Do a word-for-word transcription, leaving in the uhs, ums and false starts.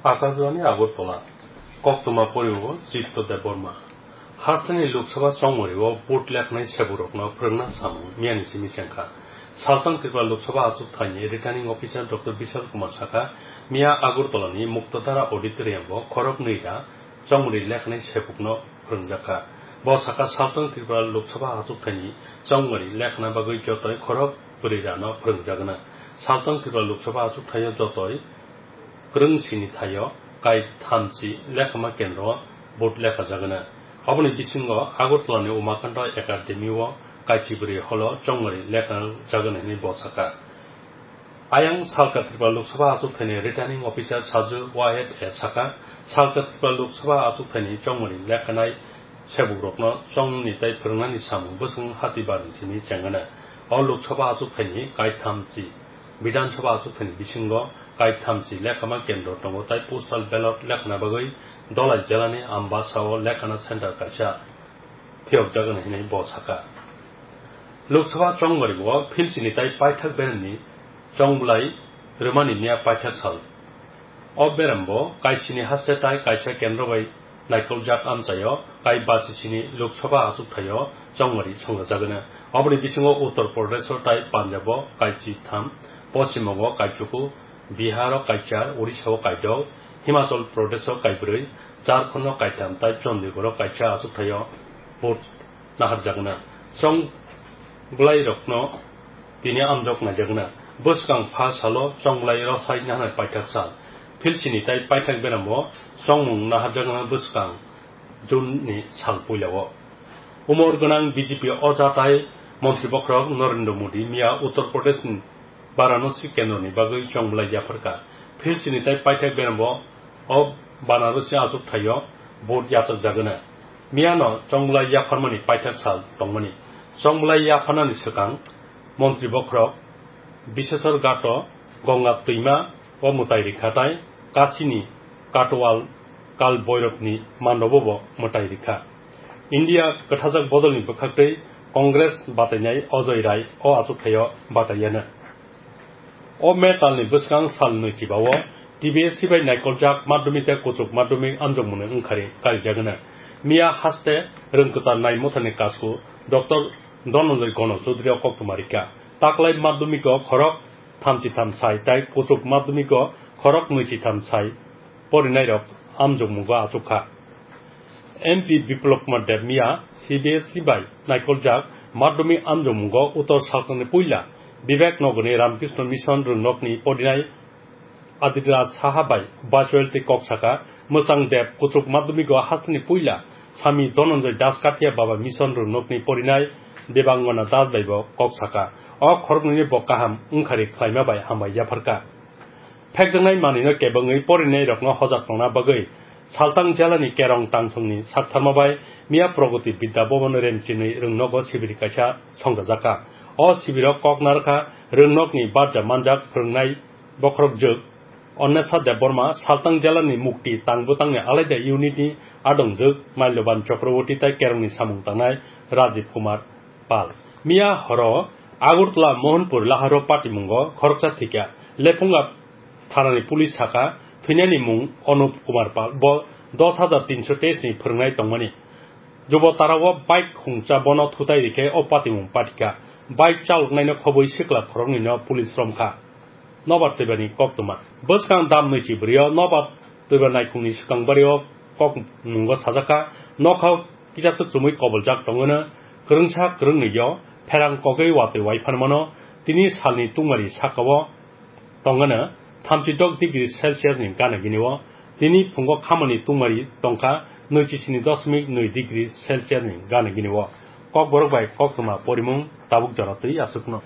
Akashbani Agartala, koktwma poriwo Chitto Debbarma. Hasteni Lok Sabha chongmari o vote lekhnai sebukrokno phwrwngna samung miyani simi chengkha. Saltang Tripura Lok Sabha achukthani Returning Officer Doctor Bishal Kumar sakha, miya Agartalani Muktadhara Auditorium o khoroknwi da chongmari lekhnai sebukno phwrwngjakha. Bo sakha, Saltang Tripura Lok Sabha achukthani chongmari lekhna bagwi jotoi khorok bwrwi rano phwrwngjagwna. Saltang Tripura Lok Sabha achukthai o jotoi kwrwng sini thaio kai thamchi lekhama kendro vote lekhajagwna. Oboni bisingo Agartalani Umakanta Academy o kaichi bwrwi holo chongmari lekhajagwna hinwi bo sakha. Ayang Salka Tripura Lok Sabha achukthani Returning Officer Saju Wahid e sakha, Salka Tripura Lok Sabha achukthani chongmari lekhanai sebukrokno chongni tai phwrwngnani samung bwswng hati barni simi chengana. O Lok Sabha achukthani kaithamchi, Bidhan Sabha achukthani bisingo kaithamchi lekhama kendro tongo tai postal ballot lekhana bagwi Dholai jelani Ambasa o lekhana center kaisa phiyokjagwna hinwi bo sakha. Lok Sabha chongmari o philchini tai paithak beremni chongbwlai rwmani miya paithak sal. O berembo kaisini haste tai kaisa kendro bai naikoljak amchaio kai basisini Lok Sabha achukthaio chongmari songjagwna. Oboni bisingo Uttar Pradesh o tai Punjab o kai chitham, Poschim Bongo kai chuku, Bihar o kai char, Odisha o kai dok, Himachal Pradesh o kai bwrwi, Jharkhand o kai tham tai Chandigarh o kaisa achukthaio vote naharjakna. Chongbwlairokno tini amjok naijakna. Bwskang pha salo chongbwlai rosai naharnai paithak sal. Philsini tai paithak beramo chongmung naharjakna bwskang June ni sal puilao. Umor gwnang B J P oja tai montri bokhorok Narendra Modi miya Uttar Pradesh ni Varanasi kendroni bagwi chongbwlai yapharkha. Philsini tai paithak beramo o Banarasi achuk thaio vote yachakjagwna. Miyano chongbwlai yapharmani paithak sal tongmani. Chongbwlai yapharnani swkang montri bokhorok Biseswar Ghato Gongab twima o mwtai rikha tai Kasini Katwal Kal Boiropni mandobo bo mwtai rikha. India kwthajak bodolni bwkhaktwi Congress batainai Ajoy Rai o achuk thaio bataiyana. O May talni bwskang sal nwi chibao T B S C bai naikoljak madhyamik tei kuchuk madhyamik amjokmungni wngkhari karijagwna. Miya haste rwngkwchar nai mothani kasku Doctor Dhananjay Gono Chaudhary o koktwma rikha. Taklai madhyamiko khorok thamchi tham sai tai kuchuk madhyamiko khorok nwichi tham sai porinairok amjokmungo achukha. M P Biplab Kumar Deb miya C B S E bai naikoljak madhyamik amjokmungo Uttor Salkangni puila Bibek Nogorni Ramkrishna Mission rwngnokni porinai Aditya Saha bai virtual tei kok saka. Mwchang Deb kuchuk madhyamiko hasteni puila Sami Dhananjay Das Kathia Baba Mission rwngnokni porinai Debangana Das bai bo kok saka. O khoroknwini bo kaham wngkhari khlaima bai hambai yapharkha. Phekjaknai manwino kebengwi porinairokno hojak tongna bagwi Saltang jelani Kerong Tangthungni saktharma bai miya Pragati Bidya Bhavan Remchini rwngnogo sibiri kaisa songchajakha. O sibiro kok narwkha rwngnokni barja manjak phwrwngnai bokhorok jwk Annesa Debbarma, Saltang jelani Mukti Tangbwtangni Alaida Unitni adongjwk Malyoban Chakraborty tai Kerongni samung tangnai Rajiv Kumar Pal. Miya horo Agartala Mohanpur Laharo patimungo khoroksa thwikha. Lephunga thanani police sakha, thwinani mung Anup Kumar Pal, bo dos hajar tinso teis ni phwrwngnai tongmani. Jubo tarao bike khungcha bono thutai rikhe o patimung patikha. Bike chaloknaino khobwi sikla khoroknwino police romkha. Nobar twibani koktwma. Bwskang dam nwichi bwrwio nobar twiba naikhungni swkang bario kok mungo sajakha, nokha kisasa chumui koboljak tongwino kwrwngsa kwrwngnwio pherang kogwi watwi waiphanmano. Tini salni tungmari sakao tongwino thamchi dok degree Celsius ni gana gini o. Tini phungo khamani tungmari tongkha nwichi sini dosmik nwi degree Celsius ni gana gini o. Kokborok bai koktwma porimung tabuk jora twi aswkno.